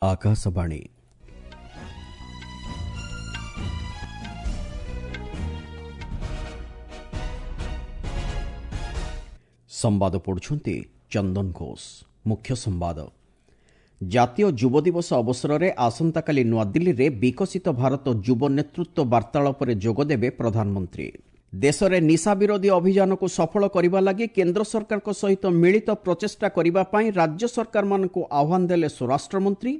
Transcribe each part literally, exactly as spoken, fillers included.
ଆକାଶବାଣୀ ସମ୍ବାଦ ପଢୁଛନ୍ତି ଚନ୍ଦନ ଘୋଷ ମୁଖ୍ୟ ସମ୍ବାଦ ଜାତୀୟ ଯୁବ ଦିବସ ଅବସରରେ ଆସନ୍ତାକାଲି ନୂଆଦିଲ୍ଲୀରେ ବିକଶିତ ଭାରତ ଯୁବ ନେତୃତ୍ୱ ବାର୍ତ୍ତାଳାପରେ ଯୋଗଦେବେ ପ୍ରଧାନମନ୍ତ୍ରୀ ଦେଶରେ ନିଶା ବିରୋଧୀ ଅଭିଯାନକୁ ସଫଳ କରିବା ଲାଗି କେନ୍ଦ୍ର ସରକାରଙ୍କ ସହିତ ମିଳିତ ପ୍ରଚେଷ୍ଟା କରିବା ପାଇଁ ରାଜ୍ୟ ସରକାରମାନଙ୍କୁ ଆହ୍ୱାନ ଦେଲେ ସ୍ୱରାଷ୍ଟ୍ରମନ୍ତ୍ରୀ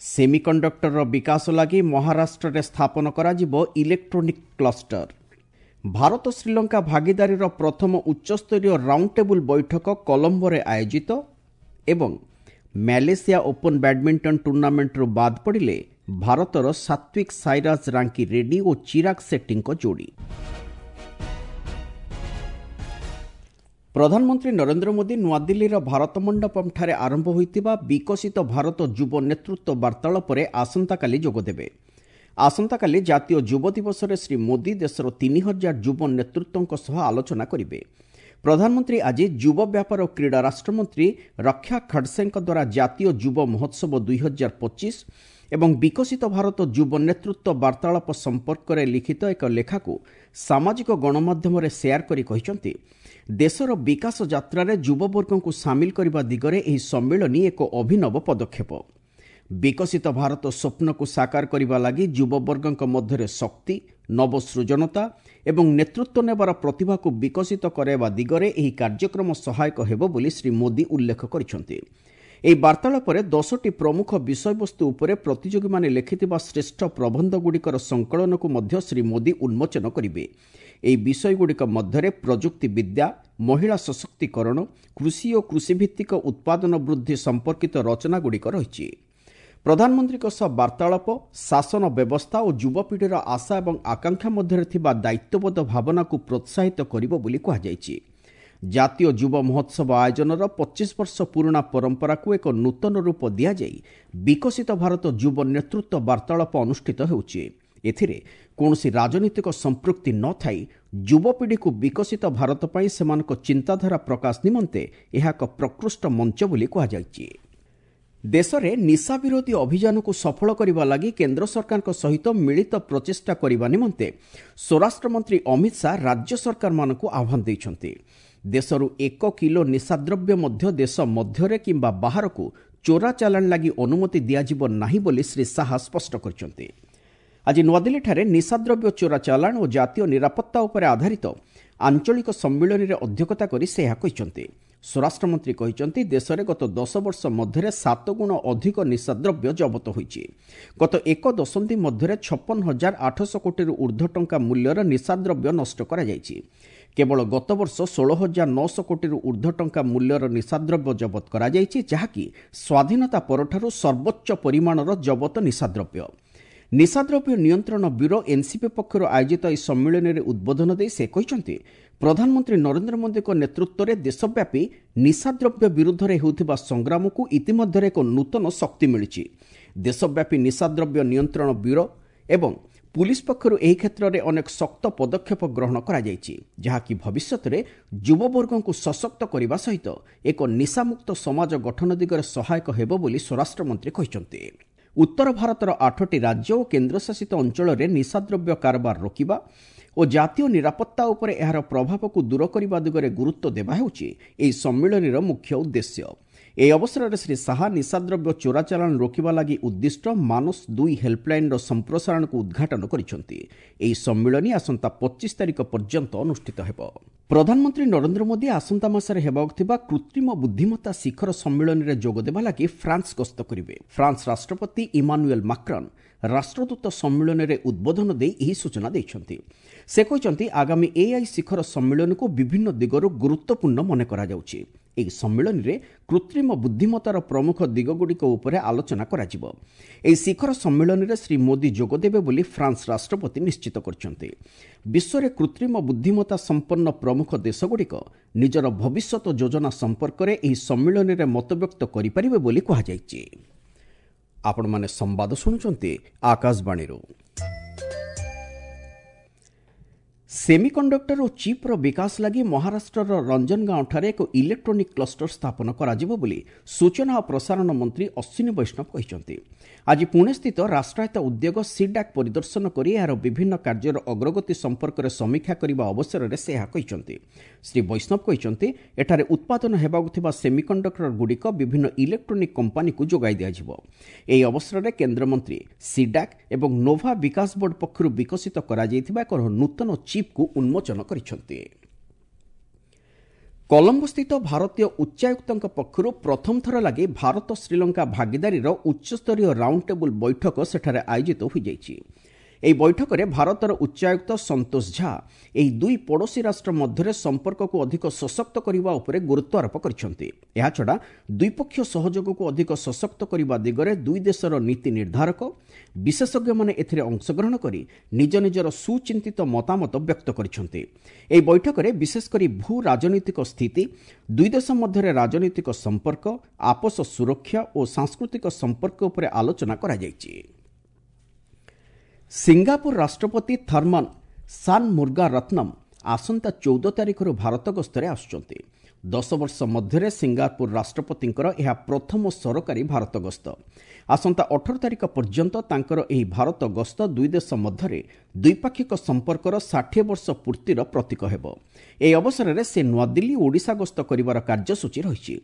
ସେମିକଣ୍ଡକ୍ଟରର ବିକାଶ ଲାଗି ମହାରାଷ୍ଟ୍ରରେ ସ୍ଥାପନ କରାଯିବ ଇଲେକ୍ଟ୍ରୋନିକ୍ କ୍ଲଷ୍ଟର ଭାରତ ଶ୍ରୀଲଙ୍କା ଭାଗିଦାରୀର ପ୍ରଥମ ଉଚ୍ଚସ୍ତରୀୟ ରାଉଣ୍ଡ ଟେବୁଲ ବୈଠକ କଲମ୍ବୋରେ ଆୟୋଜିତ ଏବଂ ମ୍ୟାଲେସିଆ ଓପନ୍ ବ୍ୟାଡମିଣ୍ଟନ ଟୁର୍ଣ୍ଣାମେଣ୍ଟରୁ ବାଦ୍ ପଡ଼ିଲେ ଭାରତର ସାତ୍ୱିକ ସାଇରାଜ ରାଙ୍କି ରେଡ୍ଡି ଓ ଚିରାଗ ସେଟ୍ଟୀଙ୍କ ଯୋଡ଼ି ପ୍ରଧାନମନ୍ତ୍ରୀ ନରେନ୍ଦ୍ର ମୋଦି ନୂଆଦିଲ୍ଲୀର ଭାରତ ମଣ୍ଡପମ୍ଠାରେ ଆରମ୍ଭ ହୋଇଥିବା ବିକଶିତ ଭାରତ ଯୁବ ନେତୃତ୍ୱ ବାର୍ତ୍ତାଳାପରେ ଆସନ୍ତାକାଲି ଯୋଗଦେବେ ଆସନ୍ତାକାଲି ଜାତୀୟ ଯୁବ ଦିବସରେ ଶ୍ରୀ ମୋଦି ଦେଶର ତିନି ହଜାର ଯୁବ ନେତୃତ୍ୱଙ୍କ ସହ ଆଲୋଚନା କରିବେ ପ୍ରଧାନମନ୍ତ୍ରୀ ଆଜି ଯୁବ ବ୍ୟାପାର ଓ କ୍ରୀଡ଼ା ରାଷ୍ଟ୍ରମନ୍ତ୍ରୀ ରକ୍ଷା ଖଡସେଙ୍କ ଦ୍ୱାରା ଜାତୀୟ ଯୁବ ମହୋତ୍ସବ ଦୁଇ ହଜାର ପଚିଶ ଏବଂ ବିକଶିତ ଭାରତ ଯୁବ ନେତୃତ୍ୱ ବାର୍ତ୍ତାଳାପ ସମ୍ପର୍କରେ ଲିଖିତ ଏକ ଲେଖାକୁ ସାମାଜିକ ଗଣମାଧ୍ୟମରେ ସେୟାର କରି କହିଛନ୍ତି ଦେଶର ବିକାଶ ଯାତ୍ରାରେ ଯୁବବର୍ଗଙ୍କୁ ସାମିଲ କରିବା ଦିଗରେ ଏହି ସମ୍ମିଳନୀ ଏକ ଅଭିନବ ପଦକ୍ଷେପ ବିକଶିତ ଭାରତ ସ୍ୱପ୍ନକୁ ସାକାର କରିବା ଲାଗି ଯୁବବର୍ଗଙ୍କ ମଧ୍ୟରେ ଶକ୍ତି ନବସୃଜନତା ଏବଂ ନେତୃତ୍ୱ ନେବାର ପ୍ରତିଭାକୁ ବିକଶିତ କରାଇବା ଦିଗରେ ଏହି କାର୍ଯ୍ୟକ୍ରମ ସହାୟକ ହେବ ବୋଲି ଶ୍ରୀ ମୋଦି ଉଲ୍ଲେଖ କରିଛନ୍ତି ଏହି ବାର୍ତ୍ତାଳାପରେ ଦଶଟି ପ୍ରମୁଖ ବିଷୟବସ୍ତୁ ଉପରେ ପ୍ରତିଯୋଗୀମାନେ ଲେଖିଥିବା ଶ୍ରେଷ୍ଠ ପ୍ରବନ୍ଧଗୁଡ଼ିକର ସଂକଳନକୁ ମଧ୍ୟ ଶ୍ରୀ ମୋଦି ଉନ୍ମୋଚନ କରିବେ ଏହି ବିଷୟଗୁଡ଼ିକ ମଧ୍ୟରେ ପ୍ରଯୁକ୍ତି ବିଦ୍ୟା ମହିଳା ସଶକ୍ତିକରଣ କୃଷି ଓ କୃଷିଭିତ୍ତିକ ଉତ୍ପାଦନ ବୃଦ୍ଧି ସମ୍ପର୍କିତ ରଚନାଗୁଡ଼ିକ ରହିଛି ପ୍ରଧାନମନ୍ତ୍ରୀଙ୍କ ସହ ବାର୍ତ୍ତାଳାପ ଶାସନ ବ୍ୟବସ୍ଥା ଓ ଯୁବପିଢ଼ିର ଆଶା ଏବଂ ଆକାଂକ୍ଷା ମଧ୍ୟରେ ଥିବା ଦାୟିତ୍ୱବୋଧ ଭାବନାକୁ ପ୍ରୋତ୍ସାହିତ କରିବ ବୋଲି କୁହାଯାଇଛି ଜାତୀୟ ଯୁବ ମହୋତ୍ସବ ଆୟୋଜନର ପଚିଶ ବର୍ଷ ପୁରୁଣା ପରମ୍ପରାକୁ ଏକ ନୂତନ ରୂପ ଦିଆଯାଇ ବିକଶିତ ଭାରତ ଯୁବ ନେତୃତ୍ୱ ବାର୍ତ୍ତାଳାପ ଅନୁଷ୍ଠିତ ହେଉଛି ଏଥିରେ କୌଣସି ରାଜନୈତିକ ସମ୍ପୃକ୍ତି ନଥାଇ ଯୁବପିଢ଼ିକୁ ବିକଶିତ ଭାରତ ପାଇଁ ସେମାନଙ୍କ ଚିନ୍ତାଧାରା ପ୍ରକାଶ ନିମନ୍ତେ ଏହା ଏକ ପ୍ରକୃଷ୍ଟ ମଞ୍ଚ ବୋଲି କୁହାଯାଇଛି ଦେଶରେ ନିଶା ବିରୋଧୀ ଅଭିଯାନକୁ ସଫଳ କରିବା ଲାଗି କେନ୍ଦ୍ର ସରକାରଙ୍କ ସହିତ ମିଳିତ ପ୍ରଚେଷ୍ଟା କରିବା ନିମନ୍ତେ ସ୍ୱରାଷ୍ଟ୍ରମନ୍ତ୍ରୀ ଅମିତ ଶାହା ରାଜ୍ୟ ସରକାରମାନଙ୍କୁ ଆହ୍ୱାନ ଦେଇଛନ୍ତି ଦେଶରୁ ଏକ କିଲୋ ନିଶାଦ୍ରବ୍ୟ ମଧ୍ୟ ଦେଶ ମଧ୍ୟରେ କିମ୍ବା ବାହାରକୁ ଚୋରା ଚାଲାଣ ଲାଗି ଅନୁମତି ଦିଆଯିବ ନାହିଁ ବୋଲି ଶ୍ରୀ ଶାହା ସ୍ପଷ୍ଟ କରିଛନ୍ତି ଆଜି ନୂଆଦିଲ୍ଲୀଠାରେ ନିଶାଦ୍ରବ୍ୟ ଚୋରା ଚାଲାଣ ଓ ଜାତୀୟ ନିରାପତ୍ତା ଉପରେ ଆଧାରିତ ଆଞ୍ଚଳିକ ସମ୍ମିଳନୀରେ ଅଧ୍ୟକ୍ଷତା କରି ସେ ଏହା କହିଛନ୍ତି ସ୍ୱରାଷ୍ଟ୍ରମନ୍ତ୍ରୀ କହିଛନ୍ତି ଦେଶରେ ଗତ ଦଶ ବର୍ଷ ମଧ୍ୟରେ ସାତ ଗୁଣ ଅଧିକ ନିଶାଦ୍ରବ୍ୟ ଜବତ ହୋଇଛି ଗତ ଏକ ଦଶନ୍ଧି ମଧ୍ୟରେ ଛପନ ହଜାର ଆଠଶହ କୋଟିରୁ ଉର୍ଦ୍ଧ୍ୱ ଟଙ୍କା ମୂଲ୍ୟର ନିଶାଦ୍ରବ୍ୟ ନଷ୍ଟ କରାଯାଇଛି କେବଳ ଗତବର୍ଷ ଷୋହଳ ହଜାର ନଅଶହ କୋଟିରୁ ଉର୍ଦ୍ଧ୍ୱ ଟଙ୍କା ମୂଲ୍ୟର ନିଶାଦ୍ରବ୍ୟ ଜବତ କରାଯାଇଛି ଯାହାକି ସ୍ୱାଧୀନତା ପରଠାରୁ ସର୍ବୋଚ୍ଚ ପରିମାଣର ଜବତ ନିଶାଦ୍ରବ୍ୟ ନିଶାଦ୍ରବ୍ୟ ନିୟନ୍ତ୍ରଣ ବ୍ୟୁରୋ ଏନ୍ସିପି ପକ୍ଷରୁ ଆୟୋଜିତ ଏହି ସମ୍ମିଳନୀରେ ଉଦ୍ବୋଧନ ଦେଇ ସେ କହିଛନ୍ତି ପ୍ରଧାନମନ୍ତ୍ରୀ ନରେନ୍ଦ୍ର ମୋଦିଙ୍କ ନେତୃତ୍ୱରେ ଦେଶବ୍ୟାପୀ ନିଶାଦ୍ରବ୍ୟ ବିରୁଦ୍ଧରେ ହେଉଥିବା ସଂଗ୍ରାମକୁ ଇତିମଧ୍ୟରେ ଏକ ନୂତନ ଶକ୍ତି ମିଳିଛି ଦେଶବ୍ୟାପୀ ନିଶାଦ୍ରବ୍ୟ ନିୟନ୍ତ୍ରଣ ବ୍ୟୁରୋ ଏବଂ ପୁଲିସ୍ ପକ୍ଷରୁ ଏହି କ୍ଷେତ୍ରରେ ଅନେକ ଶକ୍ତ ପଦକ୍ଷେପ ଗ୍ରହଣ କରାଯାଇଛି ଯାହାକି ଭବିଷ୍ୟତରେ ଯୁବବର୍ଗଙ୍କୁ ସଶକ୍ତ କରିବା ସହିତ ଏକ ନିଶାମୁକ୍ତ ସମାଜ ଗଠନ ଦିଗରେ ସହାୟକ ହେବ ବୋଲି ସ୍ୱରାଷ୍ଟ୍ରମନ୍ତ୍ରୀ କହିଛନ୍ତି ଉତ୍ତର ଭାରତର ଆଠଟି ରାଜ୍ୟ ଓ କେନ୍ଦ୍ରଶାସିତ ଅଞ୍ଚଳରେ ନିଶାଦ୍ରବ୍ୟ କାରବାର ରୋକିବା ଓ ଜାତୀୟ ନିରାପତ୍ତା ଉପରେ ଏହାର ପ୍ରଭାବକୁ ଦୂର କରିବା ଦିଗରେ ଗୁରୁତ୍ୱ ଦେବା ହେଉଛି ଏହି ସମ୍ମିଳନୀର ମୁଖ୍ୟ ଉଦ୍ଦେଶ୍ୟ ଏହି ଅବସରରେ ଶ୍ରୀ ଶାହା ନିଶାଦ୍ରବ୍ୟ ଚୋରାଚାଲାଣ ରୋକିବା ଲାଗି ଉଦ୍ଦିଷ୍ଟ ମାନସ ଦୁଇ ହେଲ୍ପଲାଇନ୍ର ସମ୍ପ୍ରସାରଣକୁ ଉଦ୍ଘାଟନ କରିଛନ୍ତି ଏହି ସମ୍ମିଳନୀ ଆସନ୍ତା ପଚିଶ ତାରିଖ ପର୍ଯ୍ୟନ୍ତ ଅନୁଷ୍ଠିତ ହେବ ପ୍ରଧାନମନ୍ତ୍ରୀ ନରେନ୍ଦ୍ର ମୋଦି ଆସନ୍ତା ମାସରେ ହେବାକୁ ଥିବା କୃତ୍ରିମ ବୁଦ୍ଧିମତ୍ତା ଶିଖର ସମ୍ମିଳନୀରେ ଯୋଗଦେବା ଲାଗି ଫ୍ରାନ୍ସ ଗସ୍ତ କରିବେ ଫ୍ରାନ୍ସ ରାଷ୍ଟ୍ରପତି ଇମାନୁଏଲ୍ ମାକ୍ରନ୍ ରାଷ୍ଟ୍ରଦୂତ ସମ୍ମିଳନୀରେ ଉଦ୍ବୋଧନ ଦେଇ ଏହି ସୂଚନା ଦେଇଛନ୍ତି ସେ କହିଛନ୍ତି ଆଗାମୀ ଏଆଇ ଶିଖର ସମ୍ମିଳନୀକୁ ବିଭିନ୍ନ ଦିଗରୁ ଗୁରୁତ୍ୱପୂର୍ଣ୍ଣ ମନେ କରାଯାଉଛି ଏହି ସମ୍ମିଳନୀରେ କୃତ୍ରିମ ବୁଦ୍ଧିମତ୍ତାର ପ୍ରମୁଖ ଦିଗଗୁଡ଼ିକ ଉପରେ ଆଲୋଚନା କରାଯିବ ଏହି ଶିଖର ସମ୍ମିଳନୀରେ ଶ୍ରୀ ମୋଦି ଯୋଗଦେବେ ବୋଲି ଫ୍ରାନ୍ସ ରାଷ୍ଟ୍ରପତି ନିଶ୍ଚିତ କରିଛନ୍ତି ବିଶ୍ୱରେ କୃତ୍ରିମ ବୁଦ୍ଧିମତ୍ତା ସମ୍ପନ୍ନ ପ୍ରମୁଖ ଦେଶଗୁଡ଼ିକ ନିଜର ଭବିଷ୍ୟତ ଯୋଜନା ସମ୍ପର୍କରେ ଏହି ସମ୍ମିଳନୀରେ ମତବ୍ୟକ୍ତ କରିପାରିବେ ବୋଲି କୁହାଯାଇଛି ଆପଣମାନେ ସମ୍ବାଦ ଶୁଣୁଛନ୍ତି ଆକାଶବାଣୀରୁ ସେମିକଣ୍ଡକ୍ଟର ଓ ଚିପ୍ର ବିକାଶ ଲାଗି ମହାରାଷ୍ଟ୍ରର ରଞ୍ଜନଗାଁଓଠାରେ ଏକ ଇଲେକ୍ଟ୍ରୋନିକ୍ କ୍ଲଷ୍ଟର ସ୍ଥାପନ କରାଯିବ ବୋଲି ସୂଚନା ଓ ପ୍ରସାରଣ ମନ୍ତ୍ରୀ ଅଶ୍ୱିନୀ ବୈଷ୍ଣବ କହିଛନ୍ତି। ଆଜି ପୁଣେସ୍ଥିତ ରାଷ୍ଟ୍ରାୟତ୍ତ ଉଦ୍ୟୋଗ ସିଡାକ୍ ପରିଦର୍ଶନ କରି ଏହାର ବିଭିନ୍ନ କାର୍ଯ୍ୟର ଅଗ୍ରଗତି ସମ୍ପର୍କରେ ସମୀକ୍ଷା କରିବା ଅବସରରେ ସେ ଏହା କହିଛନ୍ତି। ଶ୍ରୀ ବୈଷ୍ଣବ କହିଛନ୍ତି, ଏଠାରେ ଉତ୍ପାଦନ ହେବାକୁ ଥିବା ସେମିକଣ୍ଡକ୍ଟରଗୁଡ଼ିକ ବିଭିନ୍ନ ଇଲେକ୍ଟ୍ରୋନିକ୍ କମ୍ପାନୀକୁ ଯୋଗାଇ ଦିଆଯିବ। ଏହି ଅବସରରେ କେନ୍ଦ୍ରମନ୍ତ୍ରୀ ସିଡାକ୍ ଏବଂ ନୋଭା ବିକାଶ ବୋର୍ଡ ପକ୍ଷରୁ ବିକଶିତ କରାଯାଇଥିବା ଏକ ନୂତନ ଚିପ୍କୁ ଉନ୍ମୋଚନ କରିଛନ୍ତି। କଲମ୍ବୋସ୍ଥିତ ଭାରତୀୟ ଉଚ୍ଚାୟୁକ୍ତଙ୍କ ପକ୍ଷରୁ ପ୍ରଥମ ଥର ଲାଗି ଭାରତ ଶ୍ରୀଲଙ୍କା ଭାଗିଦାରୀର ଉଚ୍ଚସ୍ତରୀୟ ରାଉଣ୍ଡ ଟେବୁଲ ବୈଠକ ସେଠାରେ ଆୟୋଜିତ ହୋଇଯାଇଛି। ଏହି ବୈଠକରେ ଭାରତର ଉଚ୍ଚାୟୁକ୍ତ ସନ୍ତୋଷ ଝା ଏହି ଦୁଇ ପଡ଼ୋଶୀ ରାଷ୍ଟ୍ର ମଧ୍ୟରେ ସମ୍ପର୍କକୁ ଅଧିକ ସଶକ୍ତ କରିବା ଉପରେ ଗୁରୁତ୍ୱ ଆରୋପ କରିଛନ୍ତି। ଏହାଛଡ଼ା ଦ୍ୱିପକ୍ଷୀୟ ସହଯୋଗକୁ ଅଧିକ ସଶକ୍ତ କରିବା ଦିଗରେ ଦୁଇ ଦେଶର ନୀତି ନିର୍ଦ୍ଧାରକ, ବିଶେଷଜ୍ଞମାନେ ଏଥିରେ ଅଂଶଗ୍ରହଣ କରି ନିଜ ନିଜର ସୁଚିନ୍ତିତ ମତାମତ ବ୍ୟକ୍ତ କରିଛନ୍ତି। ଏହି ବୈଠକରେ ବିଶେଷ କରି ଭୂ ରାଜନୈତିକ ସ୍ଥିତି, ଦୁଇ ଦେଶ ମଧ୍ୟରେ ରାଜନୈତିକ ସମ୍ପର୍କ, ଆପୋଷ ସୁରକ୍ଷା ଓ ସାଂସ୍କୃତିକ ସମ୍ପର୍କ ଉପରେ ଆଲୋଚନା କରାଯାଇଛି। ସିଙ୍ଗାପୁର ରାଷ୍ଟ୍ରପତି ଥର୍ମନ ସାନ୍ ମୁର୍ଗା ରତ୍ନମ ଆସନ୍ତା ଚଉଦ ତାରିଖରୁ ଭାରତ ଗସ୍ତରେ ଆସୁଛନ୍ତି। ଦଶ ବର୍ଷ ମଧ୍ୟରେ ସିଙ୍ଗାପୁର ରାଷ୍ଟ୍ରପତିଙ୍କର ଏହା ପ୍ରଥମ ସରକାରୀ ଭାରତ ଗସ୍ତ। ଆସନ୍ତା ଅଠର ତାରିଖ ପର୍ଯ୍ୟନ୍ତ ତାଙ୍କର ଏହି ଭାରତ ଗସ୍ତ ଦୁଇ ଦେଶ ମଧ୍ୟରେ ଦ୍ୱିପାକ୍ଷିକ ସମ୍ପର୍କର ଷାଠିଏ ବର୍ଷ ପୂର୍ତ୍ତିର ପ୍ରତୀକ ହେବ। ଏହି ଅବସରରେ ସେ ନୂଆଦିଲ୍ଲୀ ଓ ଓଡ଼ିଶା ଗସ୍ତ କରିବାର କାର୍ଯ୍ୟସୂଚୀ ରହିଛି।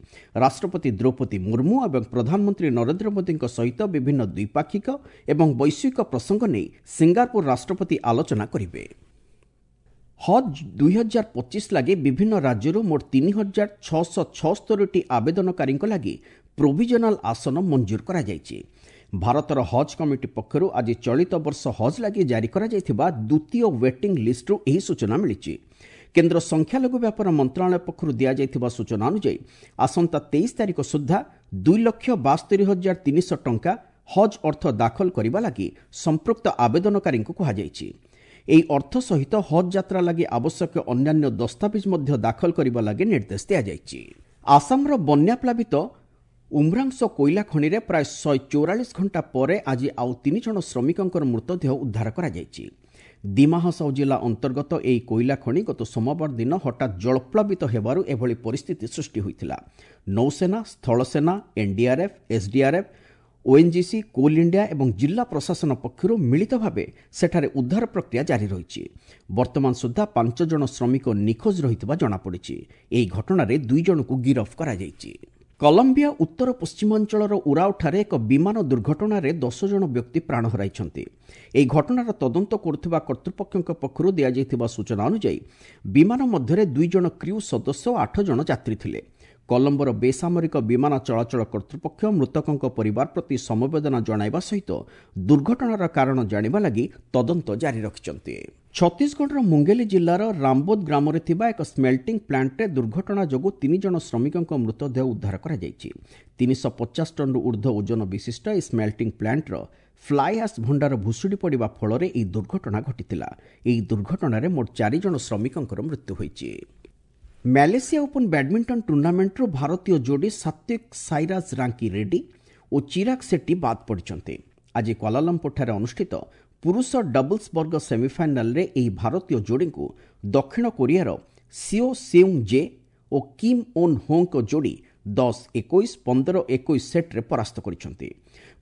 ରାଷ୍ଟ୍ରପତି ଦ୍ରୌପଦୀ ମୁର୍ମୁ ଏବଂ ପ୍ରଧାନମନ୍ତ୍ରୀ ନରେନ୍ଦ୍ର ମୋଦିଙ୍କ ସହିତ ବିଭିନ୍ନ ଦ୍ୱିପାକ୍ଷିକ ଏବଂ ବୈଶ୍ୱିକ ପ୍ରସଙ୍ଗ ନେଇ ସିଙ୍ଗାପୁର ରାଷ୍ଟ୍ରପତି ଆଲୋଚନା କରିବେ। ହଜ୍ ଦୁଇ ହଜାର ପଚିଶ ଲାଗି ବିଭିନ୍ନ ରାଜ୍ୟରୁ ମୋଟ ତିନି ହଜାର ଛଅଶହ ଛଅସ୍ତରୀଟି ଆବେଦନକାରୀଙ୍କ ଲାଗି ପ୍ରୋଭିଜନାଲ ଆସନ ମଞ୍ଜୁର କରାଯାଇଛି। ଭାରତର ହଜ୍ କମିଟି ପକ୍ଷରୁ ଆଜି ଚଳିତ ବର୍ଷ ହଜ୍ ଲାଗି ଜାରି କରାଯାଇଥିବା ଦ୍ୱିତୀୟ ୱେଟିଂ ଲିଷ୍ଟରୁ ଏହି ସୂଚନା ମିଳିଛି। କେନ୍ଦ୍ର ସଂଖ୍ୟାଲଘୁ ବ୍ୟାପାର ମନ୍ତ୍ରଣାଳୟ ପକ୍ଷରୁ ଦିଆଯାଇଥିବା ସୂଚନା ଅନୁଯାୟୀ ଆସନ୍ତା ତେଇଶ ତାରିଖ ସୁଦ୍ଧା ଦୁଇ ଲକ୍ଷ ବାସ୍ତରୀ ହଜାର ତିନିଶହ ଟଙ୍କା ହଜ୍ ଅର୍ଥ ଦାଖଲ କରିବା ଲାଗି ସମ୍ପୃକ୍ତ ଆବେଦନକାରୀଙ୍କୁ କୁହାଯାଇଛି। ଏହି ଅର୍ଥ ସହିତ ହଜ୍ ଯାତ୍ରା ଲାଗି ଆବଶ୍ୟକ ଅନ୍ୟାନ୍ୟ ଦସ୍ତାବିଜ ମଧ୍ୟ ଦାଖଲ କରିବା ଲାଗି ନିର୍ଦ୍ଦେଶ ଦିଆଯାଇଛି। ଆସାମର ବନ୍ୟାପ୍ଲାବିତ ଉମ୍ରାଂଶ କୋଇଲା ଖଣିରେ ପ୍ରାୟ ଶହେ ଚଉରାଳିଶ ଘଣ୍ଟା ପରେ ଆଜି ଆଉ ତିନି ଜଣ ଶ୍ରମିକଙ୍କର ମୃତଦେହ ଉଦ୍ଧାର କରାଯାଇଛି। ଦିମାହାସାଉ ଜିଲ୍ଲା ଅନ୍ତର୍ଗତ ଏହି କୋଇଲା ଖଣି ଗତ ସୋମବାର ଦିନ ହଠାତ୍ ଜଳପ୍ଲାବିତ ହେବାରୁ ଏଭଳି ପରିସ୍ଥିତି ସୃଷ୍ଟି ହୋଇଥିଲା। ନୌସେନା, ସ୍ଥଳସେନା, NDRF, SDRF, ONGC, coal India ଏବଂ ଜିଲ୍ଲା ପ୍ରଶାସନ ପକ୍ଷରୁ ମିଳିତ ଭାବେ ସେଠାରେ ଉଦ୍ଧାର ପ୍ରକ୍ରିୟା ଜାରି ରହିଛି। ବର୍ତ୍ତମାନ ସୁଦ୍ଧା ପାଞ୍ଚ ଜଣ ଶ୍ରମିକ ନିଖୋଜ ରହିଥିବା ଜଣାପଡ଼ିଛି। ଏହି ଘଟଣାରେ ଦୁଇ ଜଣଙ୍କୁ ଗିରଫ କରାଯାଇଛି। କଲମ୍ବିଆ ଉତ୍ତର ପଶ୍ଚିମାଞ୍ଚଳର ଉରାଓଠାରେ ଏକ ବିମାନ ଦୁର୍ଘଟଣାରେ ଦଶ ଜଣ ବ୍ୟକ୍ତି ପ୍ରାଣ ହରାଇଛନ୍ତି। ଏହି ଘଟଣାର ତଦନ୍ତ କରୁଥିବା କର୍ତ୍ତୃପକ୍ଷଙ୍କ ପକ୍ଷରୁ ଦିଆଯାଇଥିବା ସୂଚନା ଅନୁଯାୟୀ ବିମାନ ମଧ୍ୟରେ ଦୁଇ ଜଣ କ୍ରିଉ ସଦସ୍ୟ ଓ ଆଠ ଜଣ ଯାତ୍ରୀ ଥିଲେ। କଲମ୍ବୋର ବେସାମରିକ ବିମାନ ଚଳାଚଳ କର୍ତ୍ତୃପକ୍ଷ ମୃତକଙ୍କ ପରିବାର ପ୍ରତି ସମବେଦନା ଜଣାଇବା ସହିତ ଦୁର୍ଘଟଣାର କାରଣ ଜାଣିବା ଲାଗି ତଦନ୍ତ ଜାରି ରଖିଛନ୍ତି। ଛତିଶଗଡ଼ର ମୁଙ୍ଗେଲି ଜିଲ୍ଲାର ରାମବୋଦ ଗ୍ରାମରେ ଥିବା ଏକ ସ୍ମେଲ୍ଟିଂ ପ୍ଲାଣ୍ଟରେ ଦୁର୍ଘଟଣା ଯୋଗୁଁ ତିନି ଜଣ ଶ୍ରମିକଙ୍କ ମୃତଦେହ ଉଦ୍ଧାର କରାଯାଇଛି। ତିନିଶହ ପଚାଶ ଟନ୍ରୁ ଉର୍ଦ୍ଧ୍ୱ ଓଜନ ବିଶିଷ୍ଟ ଏହି ସ୍ମେଲ୍ଟିଂ ପ୍ଲାଣ୍ଟର ଫ୍ଲାଏ ଆସ୍ ଭଣ୍ଡାର ଭୁଶୁଡ଼ି ପଡ଼ିବା ଫଳରେ ଏହି ଦୁର୍ଘଟଣା ଘଟିଥିଲା। ଏହି ଦୁର୍ଘଟଣାରେ ମୋଟ ଚାରି ଜଣ ଶ୍ରମିକଙ୍କର ମୃତ୍ୟୁ ହୋଇଛି। ମ୍ୟାଲେସିଆ ଓପନ୍ ବ୍ୟାଡମିଣ୍ଟନ ଟୁର୍ଣ୍ଣାମେଣ୍ଟରୁ ଭାରତୀୟ ଯୋଡ଼ି ସାତ୍ୱିକ ସାଇରାଜ ରାଙ୍କି ରେଡ୍ଡି ଓ ଚିରାଗ ସେଟ୍ଟି ବାଦ୍ ପଡ଼ିଛନ୍ତି। ଆଜି କ୍ୱାଲାଲମ୍ପୁରଠାରେ ଅନୁଷ୍ଠିତ ପୁରୁଷ ଡବଲ୍ସ ବର୍ଗ ସେମିଫାଇନାଲରେ ଏହି ଭାରତୀୟ ଯୋଡ଼ିଙ୍କୁ ଦକ୍ଷିଣ କୋରିଆର ସିଓ ସେଉଙ୍ଗ ଜେ ଓ କିମ୍ ଓନ୍ ହୋଙ୍କ ଯୋଡ଼ି ଦଶ ଏକୋଇଶ, ପନ୍ଦର ଏକୋଇଶ ସେଟ୍ରେ ପରାସ୍ତ କରିଛନ୍ତି।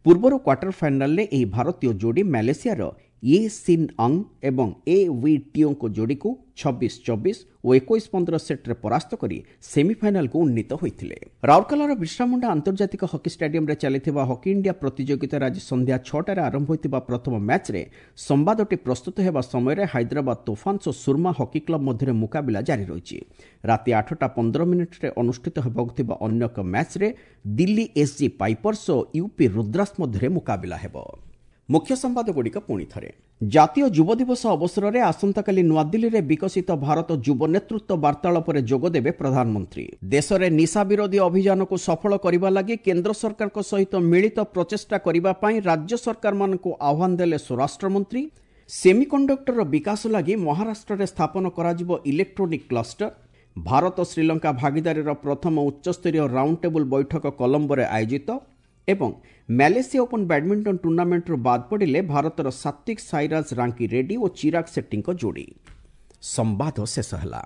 ପୂର୍ବରୁ କ୍ୱାର୍ଟର ଫାଇନାଲରେ ଏହି ଭାରତୀୟ ଯୋଡ଼ି ମ୍ୟାଲେସିଆର ୟେ ସିନ୍ ଅଙ୍ଗ ଏବଂ ଏ ୱି ଟିଓଙ୍କ ଯୋଡ଼ିକୁ ଛବିଶ ଚବିଶ ଓ ଏକୋଇଶ ପନ୍ଦର ସେଟ୍ରେ ପରାସ୍ତ କରି ସେମିଫାଇନାଲକୁ ଉନ୍ନୀତ ହୋଇଥିଲେ। ରାଉରକେଲାର ବିର୍ସାମୁଣ୍ଡା ଆନ୍ତର୍ଜାତିକ ହକି ଷ୍ଟାଡିୟମରେ ଚାଲିଥିବା ହକି ଇଣ୍ଡିଆ ପ୍ରତିଯୋଗିତାରେ ଆଜି ସନ୍ଧ୍ୟା ଛଅଟାରେ ଆରମ୍ଭ ହୋଇଥିବା ପ୍ରଥମ ମ୍ୟାଚ୍ରେ ସମ୍ବାଦଟି ପ୍ରସ୍ତୁତ ହେବା ସମୟରେ ହାଇଦ୍ରାବାଦ ତୋଫାନ୍ସ ଓ ସୁରମା ହକି କ୍ଲବ ମଧ୍ୟରେ ମୁକାବିଲା ଜାରି ରହିଛି। ରାତି ଆଠଟା ପନ୍ଦର ମିନିଟ୍ରେ ଅନୁଷ୍ଠିତ ହେବାକୁ ଥିବା ଅନ୍ୟ ଏକ ମ୍ୟାଚ୍ରେ ଦିଲ୍ଲୀ ଏସ୍ଜି ପାଇପର୍ସ ଓ ୟୁପି ରୁଦ୍ରାସ ମଧ୍ୟରେ ମୁକାବିଲା ହେବ। ମୁଖ୍ୟ ସମ୍ବାଦଗୁଡ଼ିକ ପୁଣି ଥରେ। ଜାତୀୟ ଯୁବ ଦିବସ ଅବସରରେ ଆସନ୍ତାକାଲି ନୂଆଦିଲ୍ଲୀରେ ବିକଶିତ ଭାରତ ଯୁବ ନେତୃତ୍ୱ ବାର୍ତ୍ତାଳାପରେ ଯୋଗଦେବେ ପ୍ରଧାନମନ୍ତ୍ରୀ। ଦେଶରେ ନିଶା ବିରୋଧୀ ଅଭିଯାନକୁ ସଫଳ କରିବା ଲାଗି କେନ୍ଦ୍ର ସରକାରଙ୍କ ସହିତ ମିଳିତ ପ୍ରଚେଷ୍ଟା କରିବା ପାଇଁ ରାଜ୍ୟ ସରକାରମାନଙ୍କୁ ଆହ୍ୱାନ ଦେଲେ ସ୍ୱରାଷ୍ଟ୍ରମନ୍ତ୍ରୀ। ସେମିକଣ୍ଡକ୍ଟରର ବିକାଶ ଲାଗି ମହାରାଷ୍ଟ୍ରରେ ସ୍ଥାପନ କରାଯିବ ଇଲେକ୍ଟ୍ରୋନିକ୍ କ୍ଲଷ୍ଟର। ଭାରତ ଶ୍ରୀଲଙ୍କା ଭାଗିଦାରୀର ପ୍ରଥମ ଉଚ୍ଚସ୍ତରୀୟ ରାଉଣ୍ଡ ଟେବୁଲ ବୈଠକ କଲମ୍ବୋରେ ଆୟୋଜିତ। ଏବଂ ମ୍ୟାଲେସିଆ ଓପନ୍ ବ୍ୟାଡମିଣ୍ଟନ ଟୁର୍ଣ୍ଣାମେଣ୍ଟରୁ ବାଦ୍ ପଡ଼ିଲେ ଭାରତର ସାତ୍ୱିକ ସାଇରାଜ ରାଙ୍କି ରେଡ୍ଡି ଓ ଚିରାଗ ସେଟ୍ଟିଙ୍କ ଯୋଡ଼ି। ସମ୍ବାଦ ଶେଷ ହେଲା।